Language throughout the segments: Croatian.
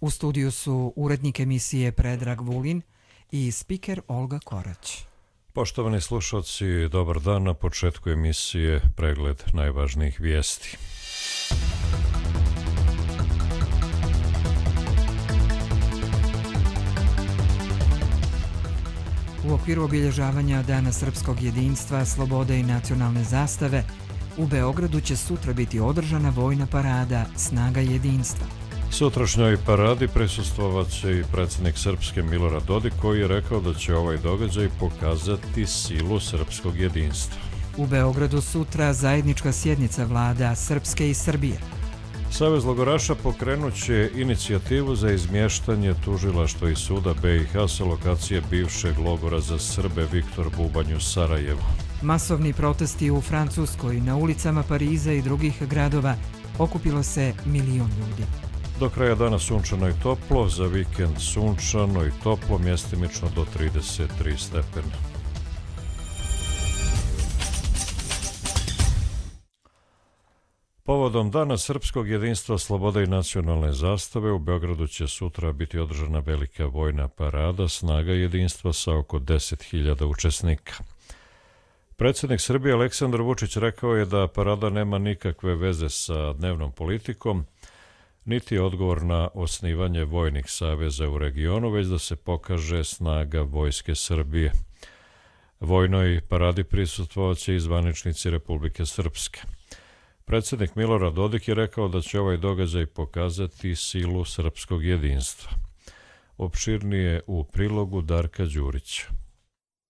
U studiju su urednik emisije Predrag Vulin i spiker Olga Korać. Poštovani slušalci, dobar dan. Na početku emisije pregled najvažnijih vijesti. U okviru obilježavanja Dana srpskog jedinstva, slobode i nacionalne zastave, u Beogradu će sutra biti održana vojna parada Snaga jedinstva. Sutrašnjoj paradi prisustvovat će i predsjednik Srpske Milorad Dodik, koji je rekao da će ovaj događaj pokazati silu srpskog jedinstva. U Beogradu sutra zajednička sjednica vlada Srpske i Srbije. Savez logoraša pokrenut će inicijativu za izmještanje tužilaštva i suda BiH sa lokacije bivšeg logora za Srbe Viktor Bubanj u Sarajevu. Masovni protesti u Francuskoj, na ulicama Pariza i drugih gradova okupilo se 1 milion ljudi. Do kraja dana sunčano i toplo, za vikend sunčano i toplo, mjestimično do 33 stepena. Povodom Dana srpskog jedinstva, slobode i nacionalne zastave, u Beogradu će sutra biti održana velika vojna parada Snaga jedinstva sa oko 10.000 učesnika. Predsjednik Srbije Aleksandar Vučić rekao je da parada nema nikakve veze sa dnevnom politikom, niti odgovor na osnivanje vojnih saveza u regionu, već da se pokaže snaga Vojske Srbije. Vojnoj paradi prisustvovat će i zvaničnici Republike Srpske. Predsjednik Milorad Dodik je rekao da će ovaj događaj pokazati silu srpskog jedinstva. Opširnije u prilogu Darka Đurića.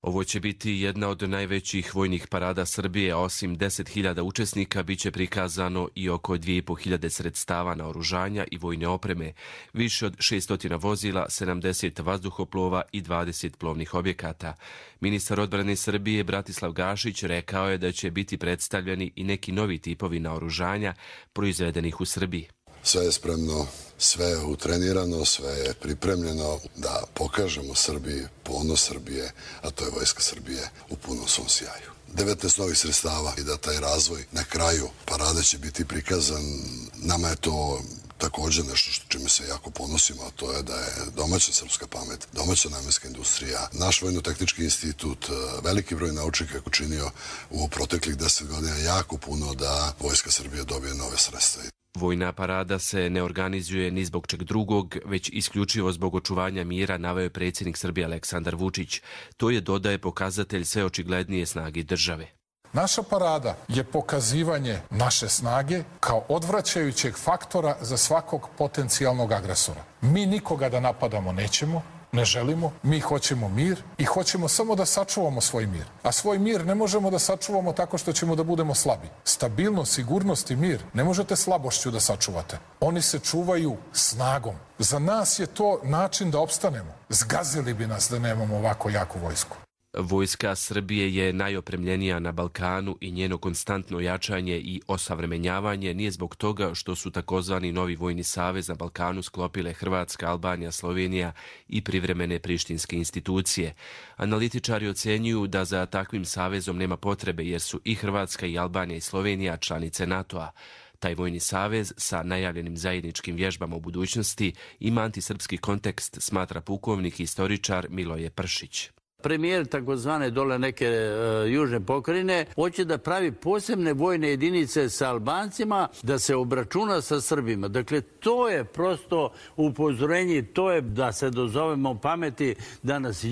Ovo će biti jedna od najvećih vojnih parada Srbije, a osim 10.000 učesnika biće prikazano i oko 2.500 sredstava naoružanja i vojne opreme, više od 600 vozila, 70 vazduhoplova i 20 plovnih objekata. Ministar odbrane Srbije Bratislav Gašić rekao je da će biti predstavljeni i neki novi tipovi naoružanja proizvedenih u Srbiji. Sve je spremno, sve je utrenirano, sve je pripremljeno da pokažemo Srbiji ponos Srbije, a to je Vojska Srbije u punom svom sjaju. 19 novih sredstava i da taj razvoj na kraju parade će biti prikazan. Nama je to također nešto što čime se jako ponosimo, a to je da je domaća srpska pamet, domaća namenska industrija, naš Vojno-tehnički institut, veliki broj naučnika je učinio u proteklih 10 godina jako puno da Vojska Srbije dobije nove sredstva. Vojna parada se ne organizuje ni zbog čeg drugog, već isključivo zbog očuvanja mira, naveo je predsjednik Srbije Aleksandar Vučić. To je, dodaje, pokazatelj sve očiglednije snage države. Naša parada je pokazivanje naše snage kao odvraćajućeg faktora za svakog potencijalnog agresora. Mi nikoga da napadamo nećemo, ne želimo, mi hoćemo mir i hoćemo samo da sačuvamo svoj mir. A svoj mir ne možemo da sačuvamo tako što ćemo da budemo slabi. Stabilnost, sigurnost i mir ne možete slabošću da sačuvate. Oni se čuvaju snagom. Za nas je to način da opstanemo. Zgazili bi nas da nemamo ovako jaku vojsku. Vojska Srbije je najopremljenija na Balkanu i njeno konstantno jačanje i osavremenjavanje nije zbog toga što su takozvani novi vojni savez na Balkanu sklopile Hrvatska, Albanija, Slovenija i privremene prištinske institucije. Analitičari ocenjuju da za takvim savezom nema potrebe jer su i Hrvatska i Albanija i Slovenija članice NATO-a. Taj vojni savez sa najavljenim zajedničkim vježbama u budućnosti ima antisrpski kontekst, smatra pukovnik i istoričar Miloje Pršić. Premijer takozvane dole neke južne pokrajine hoće da pravi posebne vojne jedinice sa Albancima, da se obračuna sa Srbima. Dakle, to je prosto upozorenje, to je da se dozovemo pameti danas,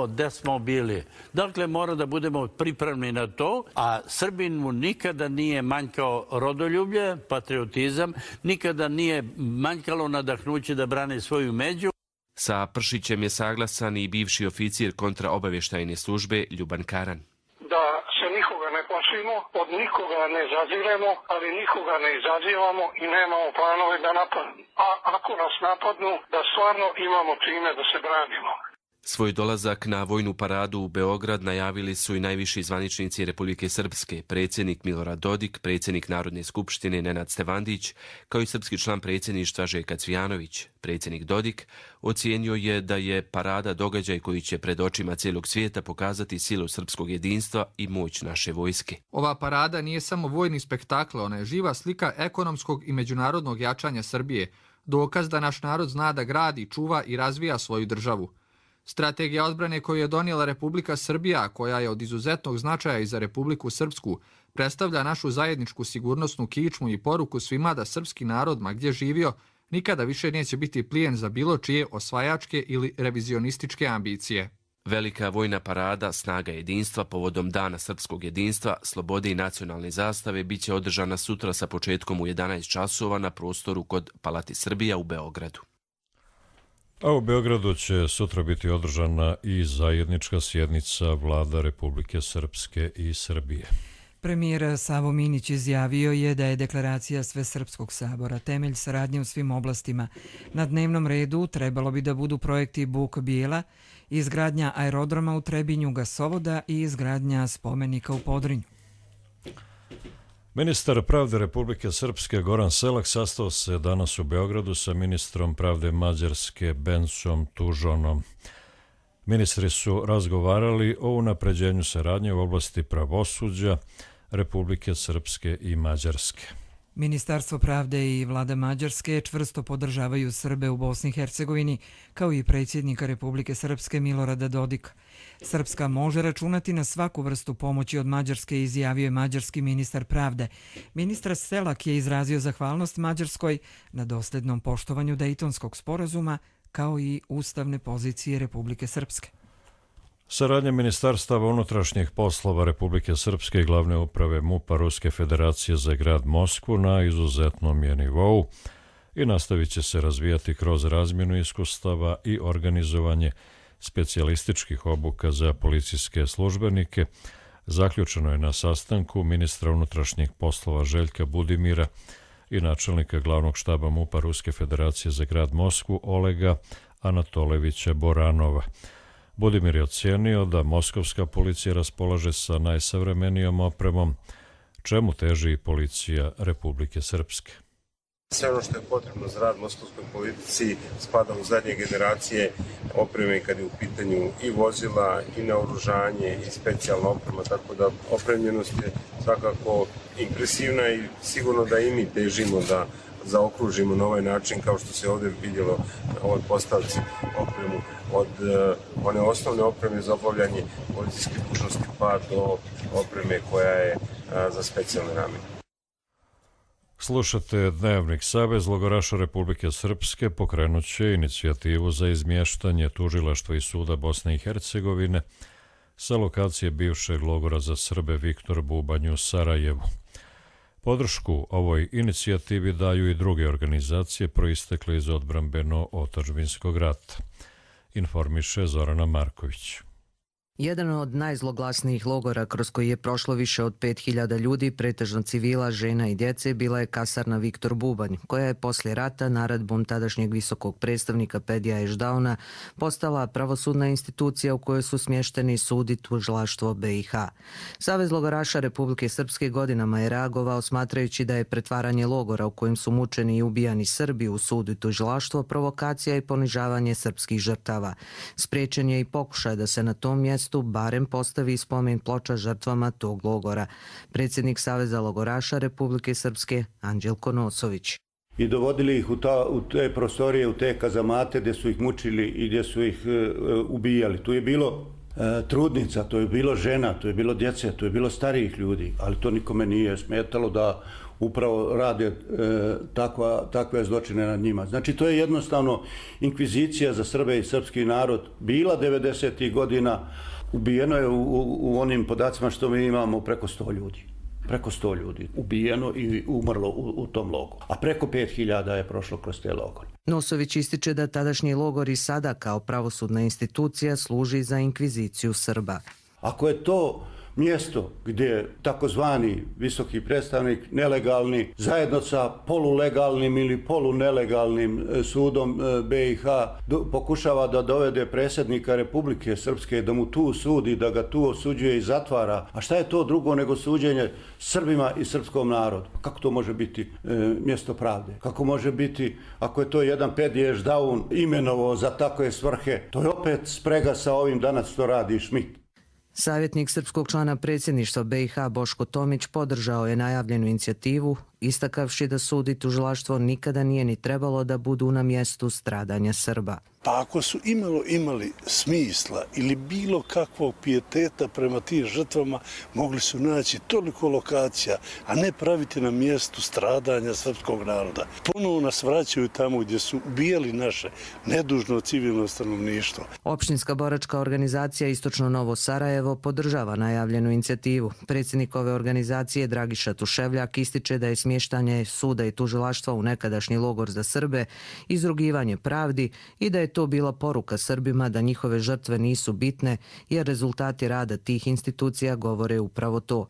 gde smo bili. Dakle, mora da budemo pripravni na to, a Srbin mu nikada nije manjkao rodoljublje, patriotizam, nikada nije manjkalo nadahnuće da brani svoju među. Sa Pršićem je saglasan i bivši oficir kontraobavještajne službe Ljuban Karan. Da se nikoga ne plašimo, od nikoga ne zaziremo, ali nikoga ne izazivamo i nemamo planove da napadnu. A ako nas napadnu, da stvarno imamo čime da se branimo. Svoj dolazak na vojnu paradu u Beograd najavili su i najviši zvaničnici Republike Srpske, predsjednik Milorad Dodik, predsjednik Narodne skupštine Nenad Stevandić, kao i srpski član predsjedništva Željko Cvijanović. Predsjednik Dodik ocijenio je da je parada događaj koji će pred očima cijelog svijeta pokazati silu srpskog jedinstva i moć naše vojske. Ova parada nije samo vojni spektakl, ona je živa slika ekonomskog i međunarodnog jačanja Srbije, dokaz da naš narod zna da gradi, čuva i razvija svoju državu. Strategija odbrane koju je donijela Republika Srbija, koja je od izuzetnog značaja i za Republiku Srpsku, predstavlja našu zajedničku sigurnosnu kičmu i poruku svima da srpski narod, ma gdje živio, nikada više neće biti plijen za bilo čije osvajačke ili revizionističke ambicije. Velika vojna parada Snaga jedinstva povodom Dana srpskog jedinstva, slobode i nacionalne zastave bit će održana sutra sa početkom u 11 časova na prostoru kod Palati Srbija u Beogradu. A u Beogradu će sutra biti održana i zajednička sjednica vlada Republike Srpske i Srbije. Premijer Savo Minić izjavio je da je deklaracija Svesrpskog sabora temelj saradnje u svim oblastima. Na dnevnom redu trebalo bi da budu projekti Buk Bijela, izgradnja aerodroma u Trebinju, gasovoda i izgradnja spomenika u Podrinju. Ministar pravde Republike Srpske Goran Selak sastao se danas u Beogradu sa ministrom pravde Mađarske Bencom Tužonom. Ministri su razgovarali o unapređenju saradnje u oblasti pravosuđa Republike Srpske i Mađarske. Ministarstvo pravde i vlada Mađarske čvrsto podržavaju Srbe u Bosni i Hercegovini, kao i predsjednika Republike Srpske Milorada Dodika. Srpska može računati na svaku vrstu pomoći od Mađarske, izjavio je mađarski ministar pravde. Ministar Selak je izrazio zahvalnost Mađarskoj na doslednom poštovanju Dejtonskog sporazuma, kao i ustavne pozicije Republike Srpske. Saradnja Ministarstava unutrašnjih poslova Republike Srpske i glavne uprave MUP-a Ruske federacije za grad Moskvu na izuzetnom je nivou i nastavit će se razvijati kroz razmjenu iskustava i organizovanje specijalističkih obuka za policijske službenike. Zaključeno je na sastanku ministra unutrašnjih poslova Željka Budimira i načelnika glavnog štaba MUP-a Ruske federacije za grad Moskvu Olega Anatolevića Boranova. Budimir je ocijenio da moskovska policija raspolaže sa najsavremenijom opremom, čemu teži i policija Republike Srpske. Sve ono što je potrebno za rad moskovskoj policiji spada u zadnje generacije opreme kad je u pitanju i vozila, i naoružanje, i specijalna oprema, tako da opremljenost je svakako impresivna i sigurno da i mi težimo da zaokružimo na ovaj način, kao što se ovdje vidjelo na ovoj postavci, opremu od one osnovne opreme za obavljanje policijske dužnosti pa do opreme koja je za specijalne namjene. Slušate Dnevnik. Savez logoraša Republike Srpske pokrenut će inicijativu za izmještanje tužilaštva i suda Bosne i Hercegovine sa lokacije bivšeg logora za Srbe Viktor Bubanj u Sarajevu. Podršku ovoj inicijativi daju i druge organizacije proistekle iz odbrambeno-otadžbinskog rata, informiše Zorana Marković. Jedan od najzloglasnijih logora kroz koji je prošlo više od 5000 ljudi, pretežno civila, žena i djece, bila je kasarna Viktor Bubanj, koja je poslije rata naredbom tadašnjeg visokog predstavnika Pedija Ešdauna postala pravosudna institucija u kojoj su smješteni sud i tužilaštvo BiH. Savez logoraša Republike Srpske godinama je reagovao smatrajući da je pretvaranje logora u kojem su mučeni i ubijani Srbi u sud i tužilaštvo provokacija i ponižavanje srpskih žrtava. Spriječen je i pokušaj da se na tom mjestu barem postavi spomen ploča žrtvama tog logora. Predsjednik Saveza logoraša Republike Srpske Anđelko Nosović. I dovodili ih u te prostorije, u te kazamate gdje su ih mučili i gdje su ih ubijali. Tu je bilo trudnica, to je bilo žena, to je bilo djece, to je bilo starijih ljudi, ali to nikome nije smetalo da upravo rade takve zločine nad njima. Znači, to je jednostavno inkvizicija za Srbe i srpski narod bila 90. godina. Ubijeno je u onim podacima što mi imamo preko 100 ljudi. Preko 100 ljudi ubijeno i umrlo u tom logoru. A preko 5000 je prošlo kroz te logore. Nosović ističe da tadašnji logor i sada kao pravosudna institucija služi za inkviziciju Srba. Ako je to mjesto gdje takozvani visoki predstavnik nelegalni zajedno sa polulegalnim ili polunelegalnim sudom BiH pokušava da dovede predsjednika Republike Srpske, da mu tu sudi, da ga tu osuđuje i zatvara. A šta je to drugo nego suđenje Srbima i srpskom narodu? Kako to može biti mjesto pravde? Kako može biti, ako je to jedan Pedija Ešdaun imenovao za takve svrhe? To je opet sprega sa ovim danas što radi Šmit. Savjetnik srpskog člana predsjedništva BiH Boško Tomić podržao je najavljenu inicijativu istakavši da sud i tužilaštvo nikada nije ni trebalo da budu na mjestu stradanja Srba. Pa ako su imali smisla ili bilo kakvog pijeteta prema tim žrtvama, mogli su naći toliko lokacija, a ne praviti na mjestu stradanja srpskog naroda. Ponovo nas vraćaju tamo gdje su ubijali naše nedužno civilno stanovništvo. Opštinska boračka organizacija Istočno Novo Sarajevo podržava najavljenu inicijativu. Predsjednik ove organizacije Dragiša Tuševljak ističe da je smještanje suda i tužilaštva u nekadašnji logor za Srbe izrugivanje pravdi i da je to bila poruka Srbima da njihove žrtve nisu bitne, jer rezultati rada tih institucija govore upravo to.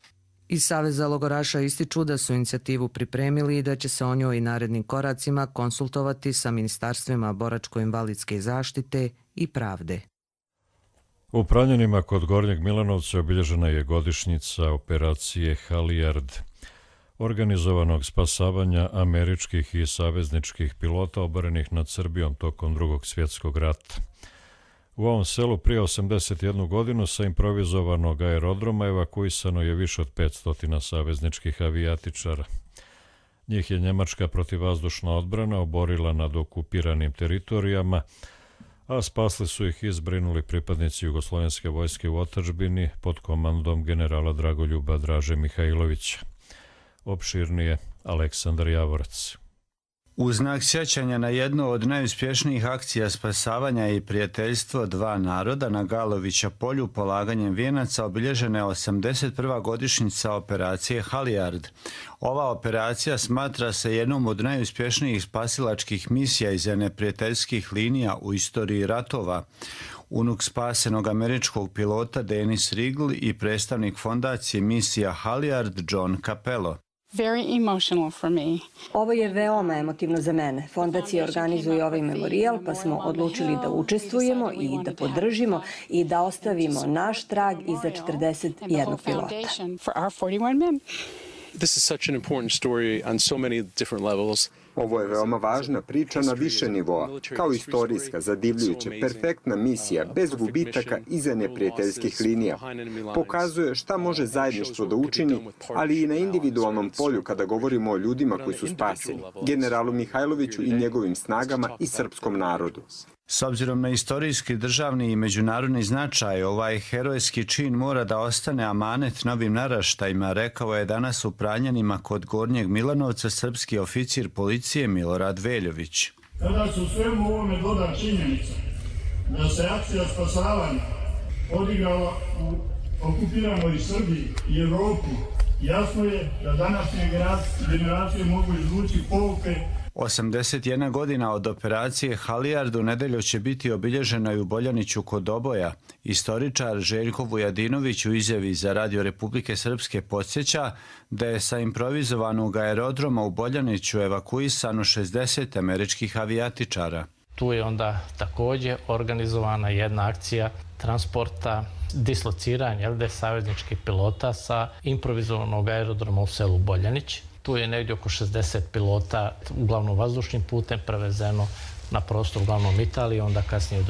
Iz Saveza logoraša ističu da su inicijativu pripremili i da će se o njoj i narednim koracima konsultovati sa ministarstvima boračko-invalidske zaštite i pravde. U Pranjanima kod Gornjeg Milanovca obilježena je godišnjica operacije Halijard, organizovanog spasavanja američkih i savezničkih pilota oborenih nad Srbijom tokom Drugog svjetskog rata. U ovom selu prije 81 godinu sa improvizovanog aerodroma evakuisano je više od 500 savezničkih avijatičara. Njih je njemačka protivvazdušna odbrana oborila nad okupiranim teritorijama, a spasli su ih i zbrinuli pripadnici Jugoslovenske vojske u otadžbini pod komandom generala Dragoljuba Draže Mihajlovića. Opširnije Aleksandar Javorac. U znak sjećanja na jednu od najuspješnijih akcija spasavanja i prijateljstvo dva naroda na Galovića polju polaganjem vijenaca obilježena je 81. godišnjica operacije Halijard. Ova operacija smatra se jednom od najuspješnijih spasilačkih misija iz neprijateljskih linija u istoriji ratova. Unuk spasenog američkog pilota Dennis Rigl i predstavnik fondacije misija Halijard John Capello. Ovo je veoma emotivno za mene. Fondacija organizuje ovaj memorijal, pa smo odlučili da učestvujemo i da podržimo i da ostavimo naš trag iza 41 pilota. Ovo je veoma važna priča na više nivoa, kao istorijska, zadivljujuća, perfektna misija, bez gubitaka iza neprijateljskih linija. Pokazuje šta može zajedništvo da učini, ali i na individualnom polju kada govorimo o ljudima koji su spaseni, generalu Mihajloviću i njegovim snagama i srpskom narodu. S obzirom na istorijski, državni i međunarodni značaj, ovaj herojski čin mora da ostane amanet novim naraštajima, rekao je danas u Pranjanima kod Gornjeg Milanovca srpski oficir policije Milorad Veljović. Kada su svemu ovome doda činjenica da se akcija spasavanja odigrala u okupiranoj Srbiji i Evropi, jasno je da današnje generacije mogu izvući pouke. 81 godina od operacije Halijard u nedelju će biti obilježena i u Boljaniću kod Oboja. Istoričar Željko Vujadinović u izjavi za Radio Republike Srpske podsjeća da je sa improvizovanog aerodroma u Boljaniću evakuisano 60 američkih avijatičara. Tu je onda također organizovana jedna akcija transporta, dislociranja savezničkih pilota sa improvizovanog aerodroma u selu Boljanić. Tu je negdje oko 60 pilota uglavnom vazdušnim putem prevezeno na prostor uglavnom Italije, onda kasnije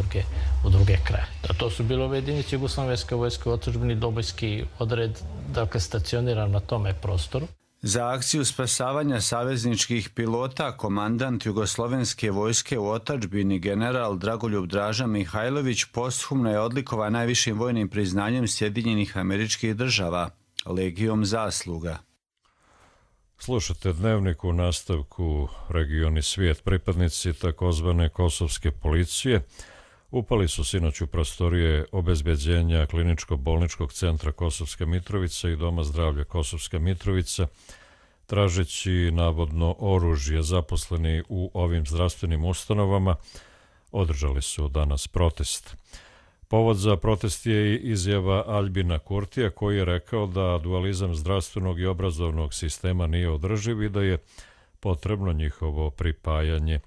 u druge kraje. To su bile ove jedinice Jugoslovenske vojske u otadžbini, Dobojski odred, dakle stacioniran na tome prostoru. Za akciju spasavanja savezničkih pilota komandant Jugoslovenske vojske u otadžbini general Dragoljub Draža Mihajlović posthumno je odlikovan najvišim vojnim priznanjem Sjedinjenih Američkih Država, Legijom zasluga. Slušate Dnevnik u nastavku Region i svijet. Pripadnici takozvane kosovske policije upali su sinoć u prostorije obezbeđenja Kliničko-bolničkog centra Kosovska Mitrovica i Doma zdravlja Kosovska Mitrovica, tražeći navodno oružje. Zaposleni u ovim zdravstvenim ustanovama održali su danas protest. Povod za protest je i izjava Aljbina Kurtija, koji je rekao da dualizam zdravstvenog i obrazovnog sistema nije održiv i da je potrebno njihovo pripajanje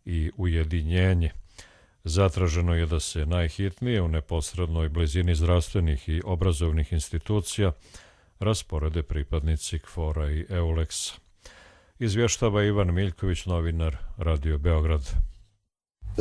i ujedinjenje. Zatraženo je da se najhitnije u neposrednoj blizini zdravstvenih i obrazovnih institucija rasporede pripadnici KFOR-a i EULEX-a. Izvještava Ivan Miljković, novinar Radio Beograd.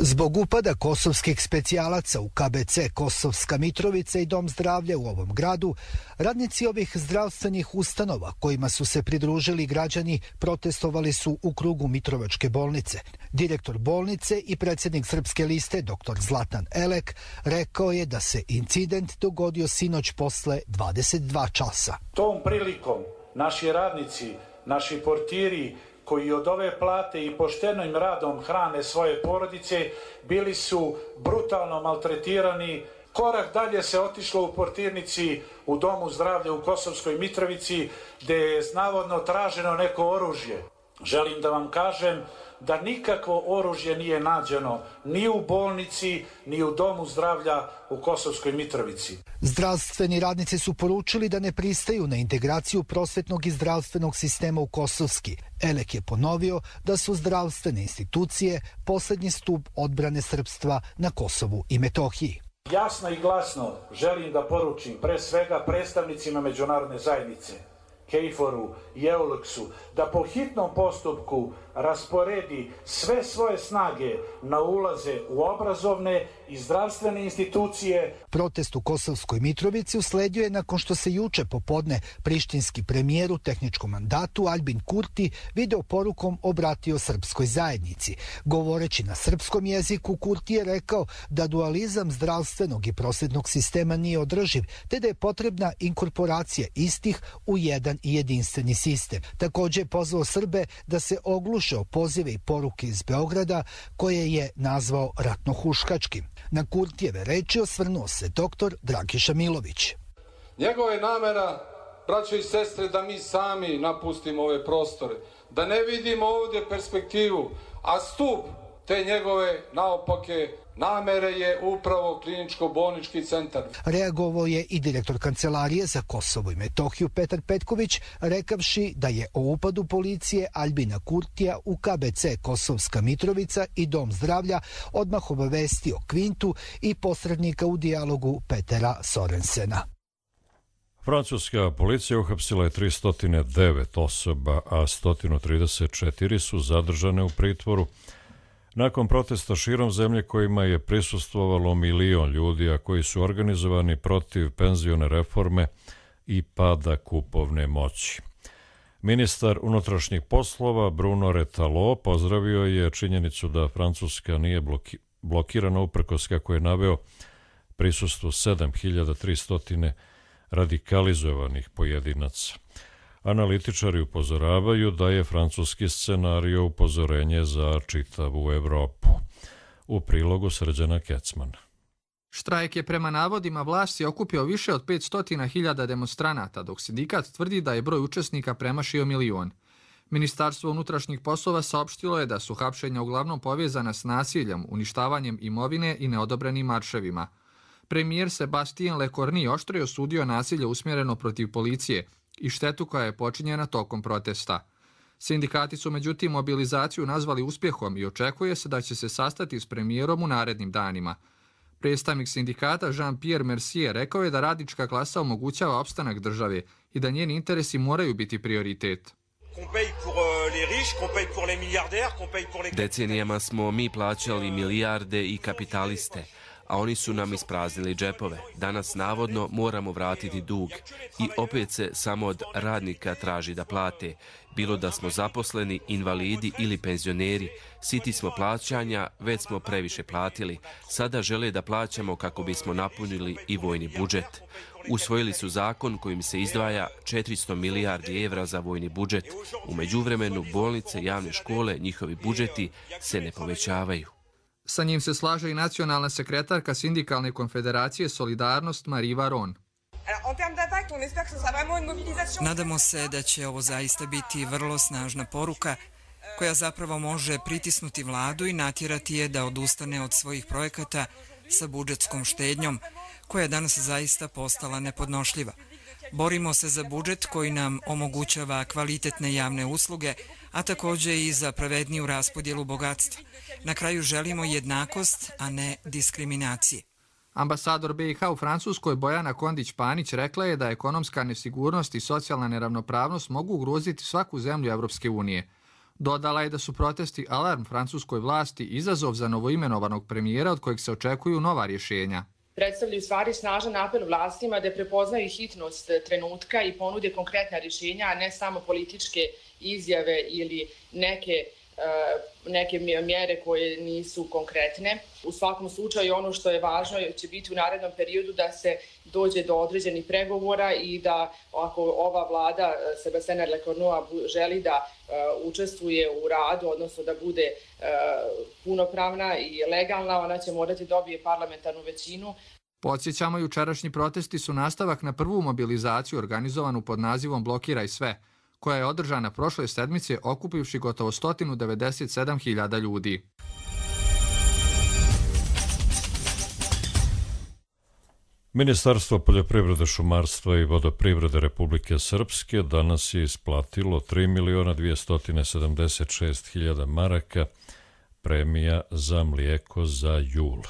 Zbog upada kosovskih specijalaca u KBC Kosovska Mitrovica i Dom zdravlja u ovom gradu, radnici ovih zdravstvenih ustanova kojima su se pridružili građani protestovali su u krugu Mitrovačke bolnice. Direktor bolnice i predsjednik Srpske liste dr. Zlatan Elek rekao je da se incident dogodio sinoć posle 22 časa. Tom prilikom naši radnici, naši portiri koji od ove plate i poštenim radom hrane svoje porodice, bili su brutalno maltretirani. Korak dalje se otišlo u portirnici u Domu zdravlja u Kosovskoj Mitrovici, gdje je navodno traženo neko oružje. Želim da vam kažem da nikakvo oružje nije nađeno ni u bolnici, ni u Domu zdravlja u Kosovskoj Mitrovici. Zdravstveni radnici su poručili da ne pristaju na integraciju prosvetnog i zdravstvenog sistema u Kosovski. Elek je ponovio da su zdravstvene institucije posljednji stup odbrane srpstva na Kosovu i Metohiji. Jasno i glasno želim da poručim pre svega predstavnicima međunarodne zajednice, KFOR-u i EULEX-u, da po hitnom postupku rasporedi sve svoje snage na ulaze u obrazovne i zdravstvene institucije. Protest u Kosovskoj Mitrovici usledio je nakon što se juče popodne prištinski premijer u tehničkom mandatu Albin Kurti video porukom obratio srpskoj zajednici. Govoreći na srpskom jeziku, Kurti je rekao da dualizam zdravstvenog i prosvetnog sistema nije održiv, te da je potrebna inkorporacija istih u jedan i jedinstveni sistem. Također je pozvao Srbe da se ogluše o pozive i poruke iz Beograda, koje je nazvao ratnohuškačkim. Na Kurtijeve reči osvrnuo se dr. Dragiša Milović. Njegova je namera, braćo i sestre, da mi sami napustimo ove prostore, da ne vidimo ovdje perspektivu, a stup te njegove naopake namere je upravo kliničko-bolnički centar. Reagovao je i direktor Kancelarije za Kosovo i Metohiju Petar Petković, rekavši da je o upadu policije Albina Kurtija u KBC Kosovska Mitrovica i Dom zdravlja odmah obavestio Kvintu i posrednika u dijalogu Petera Sorensena. Francuska policija uhapsila je 309 osoba, a 134 su zadržane u pritvoru nakon protesta širom zemlje kojima je prisustvovalo 1 milion ljudi, a koji su organizovani protiv penzione reforme i pada kupovne moći. Ministar unutrašnjih poslova Bruno Retalo pozdravio je činjenicu da Francuska nije blokirana uprkos, kako je naveo, prisustvu 7300 radikalizovanih pojedinaca. Analitičari upozoravaju da je francuski scenario upozorenje za čitavu Evropu. U prilogu Srđana Kecmana. Štrajk je prema navodima vlasti okupio više od 500.000 demonstranata, dok sindikat tvrdi da je broj učesnika premašio 1 milion. Ministarstvo unutrašnjih poslova saopštilo je da su hapšenja uglavnom povezana s nasiljem, uništavanjem imovine i neodobrenim marševima. Premijer Sébastien Lecornu oštro je osudio nasilje usmjereno protiv policije i štetu koja je počinjena tokom protesta. Sindikati su međutim mobilizaciju nazvali uspjehom i očekuje se da će se sastati s premijerom u narednim danima. Predstavnik sindikata Jean-Pierre Mercier rekao je da radnička klasa omogućava opstanak države i da njeni interesi moraju biti prioritet. Decenijama smo mi plaćali milijarde i kapitaliste, a oni su nam ispraznili džepove. Danas navodno moramo vratiti dug i opet se samo od radnika traži da plate. Bilo da smo zaposleni, invalidi ili penzioneri, siti smo plaćanja, već smo previše platili. Sada žele da plaćamo kako bismo napunili i vojni budžet. Usvojili su zakon kojim se izdvaja 400 milijardi evra za vojni budžet. U međuvremenu bolnice, javne škole, njihovi budžeti se ne povećavaju. Sa njim se slaže i nacionalna sekretarka Sindikalne konfederacije Solidarnost Marie Varon. Nadamo se da će ovo zaista biti vrlo snažna poruka koja zapravo može pritisnuti vladu i natjerati je da odustane od svojih projekata sa budžetskom štednjom, koja je danas zaista postala nepodnošljiva. Borimo se za budžet koji nam omogućava kvalitetne javne usluge, a također i za pravedniju raspodjelu bogatstva. Na kraju želimo jednakost, a ne diskriminacije. Ambasador BiH u Francuskoj Bojana Kondić-Panić rekla je da ekonomska nesigurnost i socijalna neravnopravnost mogu ugroziti svaku zemlju Evropske unije. Dodala je da su protesti alarm francuskoj vlasti izazov za novoimenovanog premijera od kojeg se očekuju nova rješenja. Predstavljaju stvari snažan apel vlastima da prepoznaju hitnost trenutka i ponude konkretna rješenja, a ne samo političke izjave ili neke mjere koje nisu konkretne. U svakom slučaju ono što je važno će biti u narednom periodu da se dođe do određenih pregovora i da ako ova vlada Sébastien Lecornu želi da učestvuje u radu, odnosno da bude punopravna i legalna, ona će morati dobije parlamentarnu većinu. Podsjećamo, jučerašnji protesti su nastavak na prvu mobilizaciju organizovanu pod nazivom Blokiraj sve, koja je održana prošle sedmice okupivši gotovo 197.000 ljudi. Ministarstvo poljoprivrede, šumarstva i vodoprivrede Republike Srpske danas je isplatilo 3.276.000 maraka premija za mlijeko za jul.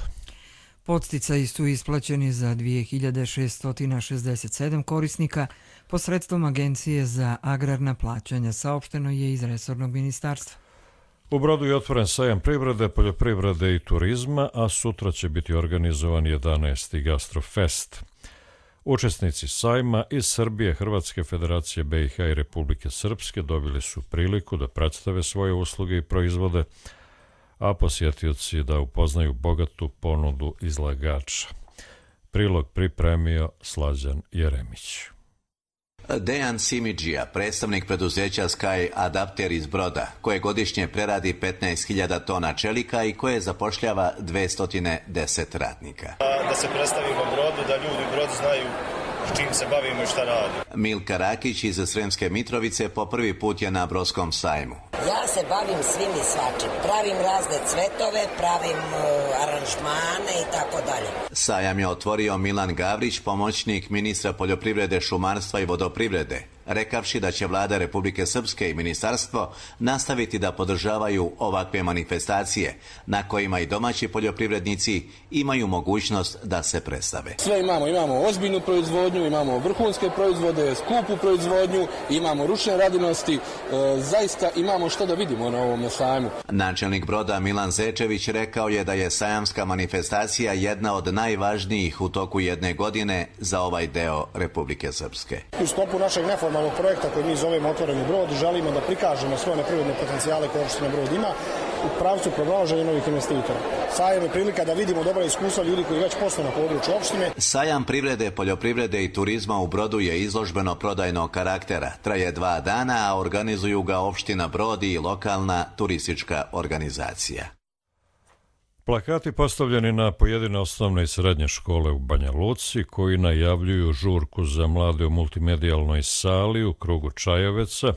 Podsticaji su isplaćeni za 2667 korisnika posredstvom Agencije za agrarna plaćanja, saopšteno je iz resornog ministarstva. U Brodu je otvoren sajam privrede, poljoprivrede i turizma, a sutra će biti organizovan 11. Gastrofest. Učesnici sajma iz Srbije, Hrvatske, Federacije BiH i Republike Srpske dobili su priliku da predstave svoje usluge i proizvode, a posjetioci da upoznaju bogatu ponudu izlagača. Prilog pripremio Slađan Jeremić. Dejan Simidžija, predstavnik preduzeća Sky Adapter iz Broda, koje godišnje preradi 15.000 tona čelika i koje zapošljava 210 radnika. Da se predstavimo Brodu, da ljudi u Brodu znaju s čim se bavimo i šta radimo. Milka Rakić iz Sremske Mitrovice po prvi put je na Brodskom sajmu. Ja se bavim svim i svačim. Pravim razne cvetove, pravim aranžmane i tako dalje. Sajam je otvorio Milan Gavrić, pomoćnik ministra poljoprivrede, šumarstva i vodoprivrede, rekavši da će vlada Republike Srpske i ministarstvo nastaviti da podržavaju ovakve manifestacije na kojima i domaći poljoprivrednici imaju mogućnost da se predstave. Sve imamo ozbiljnu proizvodnju, imamo vrhunske proizvode, skupu proizvodnju, imamo ručne radinosti, zaista imamo što da vidimo na ovom sajmu. Načelnik Broda Milan Zečević rekao je da je sajamska manifestacija jedna od najvažnijih u toku jedne godine za ovaj deo Republike Srpske. U sklopu našeg neformalnog projekta koji mi zovemo Otvoreni Brod želimo da prikažemo svoje neprirodne potencijale koje opština Brod ima u pravcu pronalaženja novih investitora. Sajam je prilika da vidimo dobra iskustva ljudi koji već posle na području opštine. Sajam privrede, poljoprivrede i turizma u Brodu je izložbeno prodajnog karaktera. Traje 2 dana, a organizuju ga opština Brod i lokalna turistička organizacija. Plakati postavljeni na pojedine osnovne i srednje škole u Banja Luci koji najavljuju žurku za mlade u multimedijalnoj sali u krugu Čajeveca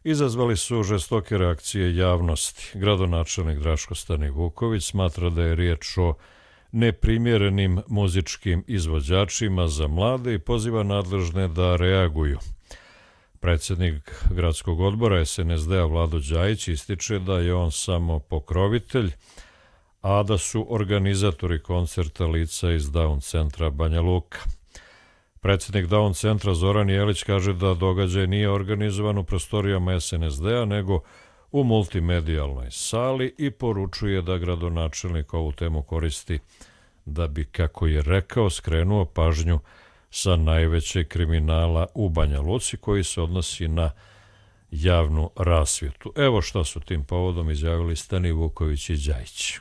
izazvali su žestoke reakcije javnosti. Gradonačelnik Draško Stanivuković smatra da je riječ o neprimjerenim muzičkim izvođačima za mlade i poziva nadležne da reaguju. Predsjednik gradskog odbora SNSD-a Vlado Đajić ističe da je on samo pokrovitelj, a da su organizatori koncerta lica iz Down centra Banja Luka. Predsjednik Down centra Zoran Jelić kaže da događaj nije organizovan u prostorijama SNSD-a, nego u multimedijalnoj sali i poručuje da gradonačelnik ovu temu koristi da bi, kako je rekao, skrenuo pažnju sa najvećeg kriminala u Banja Luci koji se odnosi na javnu rasvjetu. Evo šta su tim povodom izjavili Stanivuković i Đajić.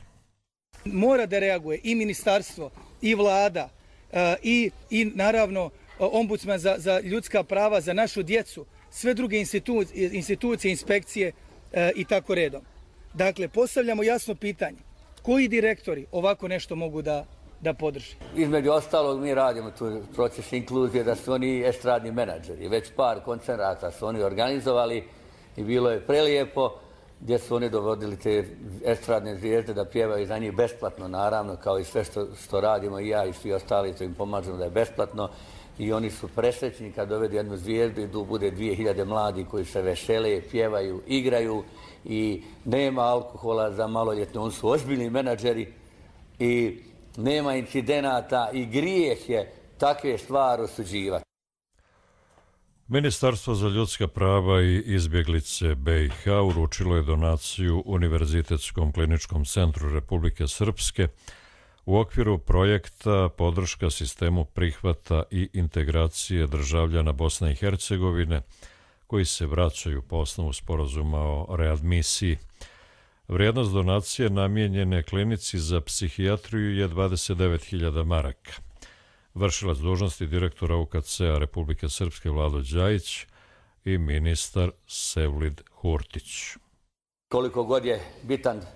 Mora da reaguje i ministarstvo, i vlada, i naravno ombudsman za ljudska prava, za našu djecu, sve druge institucije, inspekcije i tako redom. Dakle, postavljamo jasno pitanje. Koji direktori ovako nešto mogu da podrži? Između ostalog mi radimo tu proces inkluzije da su oni estradni menadžeri. Već par koncerata su oni organizovali i bilo je prelijepo gdje su oni dovodili te estradne zvijezde da pjevaju za njih besplatno, naravno, kao i sve što radimo i ja i svi ostali, to im pomažemo da je besplatno. I oni su presrećni kad dovedu jednu zvijezdu i tu bude 2000 mladi koji se vesele, pjevaju, igraju i nema alkohola za maloljetne. Oni su ozbiljni menadžeri i nema incidenata i grijeh je takve stvari osuđivati. Ministarstvo za ljudska prava i izbjeglice BiH uručilo je donaciju Univerzitetskom kliničkom centru Republike Srpske u okviru projekta podrška sistemu prihvata i integracije državljana Bosne i Hercegovine koji se vraćaju po osnovu sporazuma o readmisiji. Vrijednost donacije namijenjene klinici za psihijatriju je 29.000 maraka. Vršilac dužnosti direktora UKC-a Republike Srpske Vlado Đajić i ministar Sevlid Hurtić. Koliko god je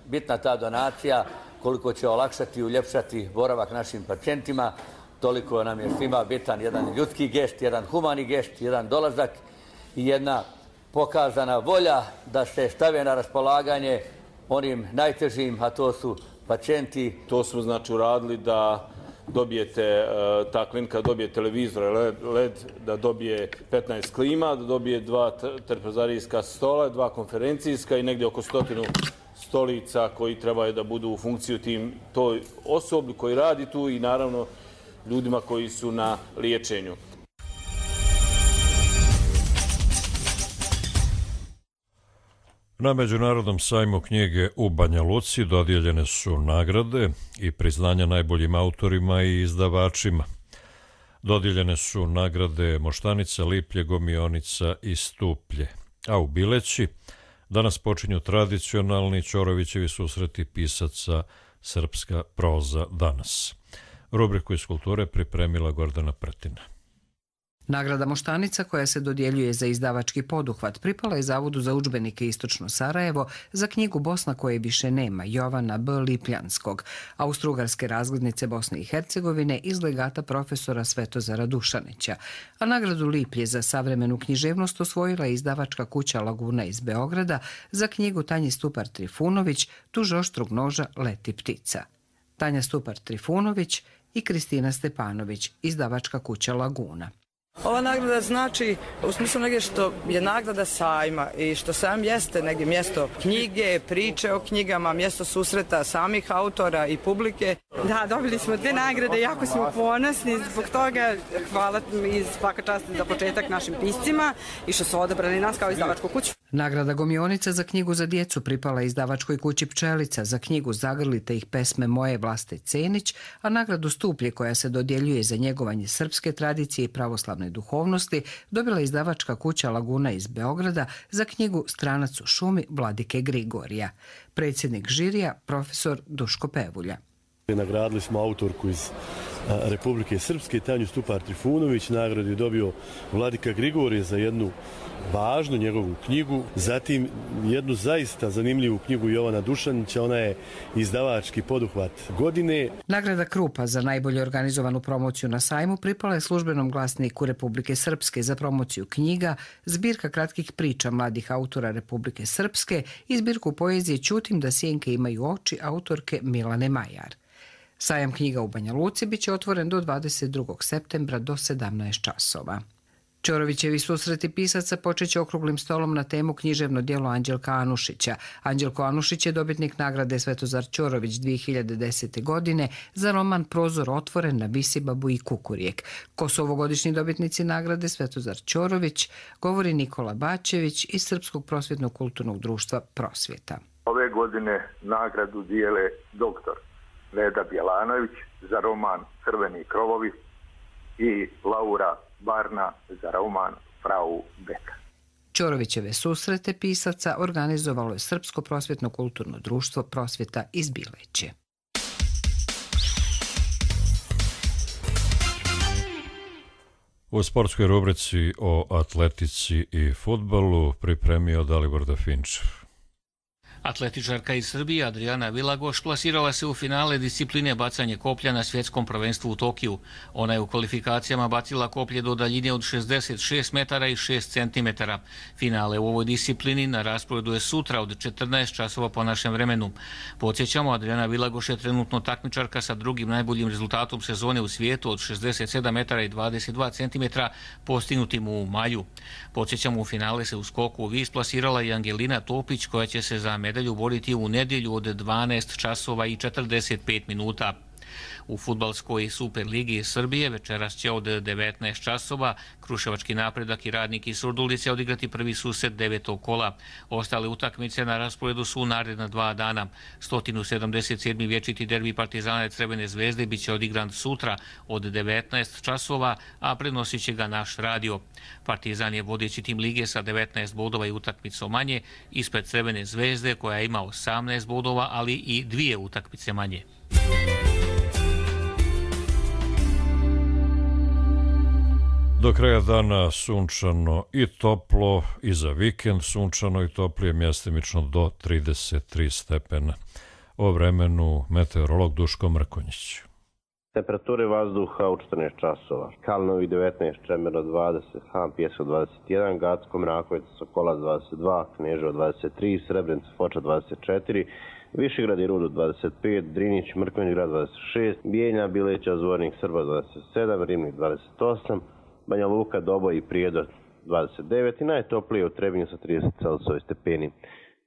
bitna ta donacija, koliko će olakšati i uljepšati boravak našim pacijentima, toliko nam je svima bitan jedan ljudski gest, jedan humani gest, jedan dolazak i jedna pokazana volja da se stave na raspolaganje onim najtežim, a to su pacijenti. To smo znači uradili da dobijete, ta klinika dobije televizor LED, da dobije 15 klima, da dobije 2 trpezarijska stola, 2 konferencijska i negdje oko 100 stolica koji trebaju da budu u funkciju toj osobi koji radi tu i naravno ljudima koji su na liječenju. Na Međunarodnom sajmu knjige u Banja Luci dodijeljene su nagrade i priznanja najboljim autorima i izdavačima. Dodijeljene su nagrade Moštanica, Liplje, Gomionica i Stuplje. A u Bileći danas počinju tradicionalni Ćorovićevi susreti pisaca Srpska proza danas. Rubriku iz kulture pripremila Gordana Pretina. Nagrada Moštanica, koja se dodjeljuje za izdavački poduhvat, pripala je Zavodu za udžbenike Istočno Sarajevo za knjigu Bosna koje više nema Jovana B. Lipljanskog, Austrougarske razglednice Bosne i Hercegovine iz legata profesora Svetozara Dušanića. A nagradu Liplje za savremenu književnost osvojila je izdavačka kuća Laguna iz Beograda za knjigu Tanje Stupar Trifunović Tuž oštrog noža leti ptica. Tanja Stupar Trifunović i Kristina Stepanović, izdavačka kuća Laguna. Ova nagrada znači u smislu negdje što je nagrada sajma i što sajam jeste negdje mjesto knjige, priče o knjigama, mjesto susreta samih autora i publike. Da, dobili smo 2 nagrade, jako smo ponosni zbog toga. Hvala i svaka čast za početak našim piscima i što su odabrali nas kao izdavačku kuću. Nagrada Gomionica za knjigu za djecu pripala izdavačkoj kući Pčelica za knjigu Zagrlite ih pesme moje Vlaste Cenić, a nagradu Stuplje koja se dodjeljuje za njegovanje srpske tradicije i pravoslavne duhovnosti dobila izdavačka kuća Laguna iz Beograda za knjigu Stranac u šumi Vladike Grigorija. Predsjednik žirija, profesor Duško Pevulja. Nagradili smo autorku iz Republike Srpske, Tanju Stupar Trifunović. Nagradu je dobio Vladika Grigorije za jednu važnu njegovu knjigu. Zatim jednu zaista zanimljivu knjigu Jovana Dušanića, ona je izdavački poduhvat godine. Nagrada Krupa za najbolje organizovanu promociju na sajmu pripala je Službenom glasniku Republike Srpske za promociju knjiga, zbirka kratkih priča mladih autora Republike Srpske i zbirku poezije Ćutim da sjenke imaju oči autorke Milane Majar. Sajam knjiga u Banja Luci biće otvoren do 22. septembra do 17 časova. Ćorovićevi susreti pisaca počeće okruglim stolom na temu književno djelo Anđelka Anušića. Anđelko Anušić je dobitnik nagrade Svetozar Ćorović 2010. godine za roman Prozor otvoren na Visibabu i Kukurijek. Ko su ovogodišnji dobitnici nagrade Svetozar Ćorović, govori Nikola Bačević iz Srpskog prosvjetnog kulturnog društva Prosvjeta. Ove godine nagradu dijele doktor Leda Bjelanović za roman Crveni krovovi i Laura Barna za roman Frau Beka. Ćorovićeve susrete pisaca organizovalo je Srpsko prosvjetno kulturno društvo Prosvjeta iz Bileće. U sportskoj rubrici o atletici i fudbalu pripremio Dalibor Dafinčev. Atletičarka iz Srbije Adriana Vilagoš plasirala se u finale discipline bacanje koplja na svjetskom prvenstvu u Tokiju. Ona je u kvalifikacijama bacila koplje do daljine od 66 metara i 6 centimetara. Finale u ovoj disciplini na rasporedu je sutra od 14 časova po našem vremenu. Podsjećamo, Adriana Vilagoš je trenutno takmičarka sa drugim najboljim rezultatom sezone u svijetu od 67 metara i 22 centimetra postignutim u maju. Podsjećamo, u finale se u skoku u vis plasirala i Angelina Topić koja će se za medalju boriti u nedjelju od 12 časova i 45 minuta. U fudbalskoj Superligi Srbije večeras će od 19 časova Kruševački Napredak i Radnik iz Surdulice odigrati prvi susret 9. kola. Ostale utakmice na rasporedu su naredna 2 dana. 177. vječiti derbi Partizana i Crvene zvezde biće odigran sutra od 19 časova, a prenosit će ga naš radio. Partizan je vodeći tim lige sa 19 bodova i utakmicom manje, ispred Crvene zvezde koja ima 18 bodova, ali i 2 utakmice manje. Do kraja dana sunčano i toplo, i za vikend sunčano i toplije, mjestimično do 33 stepena. O vremenu meteorolog Duško Mrkonjić. Temperature vazduha u 14 časova. Kalnovi 19, Čemerno 20, Han Pjesko 21, Gacko, Mrakovica, Sokolac 22, Kneževo 23, Srebrenica, Foča 24, Višegrad i Rudo 25, Drinić, Mrkonjić grad 26, Bijeljna, Bileća, Zvornik, Srba 27, Rimnik 28, Banja Luka, Doboj i Prijedor 29 i najtoplije u Trebinju sa 30 stepeni.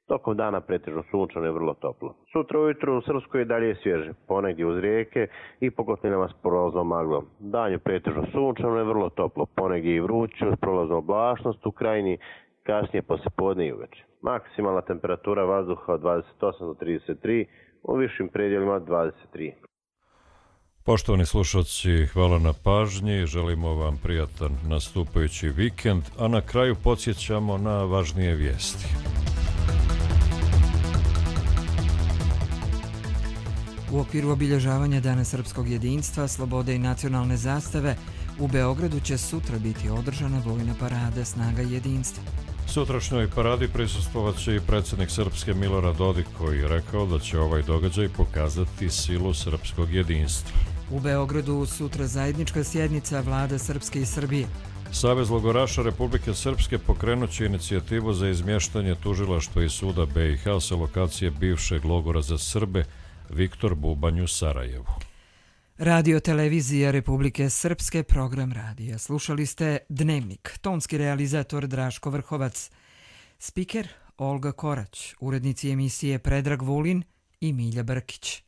Tokom dana pretežno sunčano i vrlo toplo. Sutra ujutru u Srpskoj dalje je svježe, ponegdje uz rijeke i po kotlinama s prolaznom maglom. Dan je pretežno sunčano i vrlo toplo, ponegdje i vruće uz prolaznu oblačnost u krajini, kasnije poslijepodne i uveče. Maksimalna temperatura vazduha od 28 do 33, u višim predjelima 23. Poštovani slušalci, hvala na pažnji, želimo vam prijatan nastupajući vikend, a na kraju podsjećamo na važnije vijesti. U okviru obilježavanja Dana srpskog jedinstva, slobode i nacionalne zastave, u Beogradu će sutra biti održana vojna parada Snaga jedinstva. Sutrašnjoj paradi prisustvovat će i predsjednik Srpske Milorad Dodik, koji je rekao da će ovaj događaj pokazati silu srpskog jedinstva. U Beogradu sutra zajednička sjednica vlada Srpske i Srbije. Savez logoraša Republike Srpske pokrenut će inicijativu za izmještanje tužilaštva i suda BiH sa lokacije bivšeg logora za Srbe Viktor Bubanj u Sarajevu. Radio televizija Republike Srpske, program radija. Slušali ste Dnevnik, tonski realizator Draško Vrhovac, spiker Olga Korać, urednici emisije Predrag Vulin i Milja Brkić.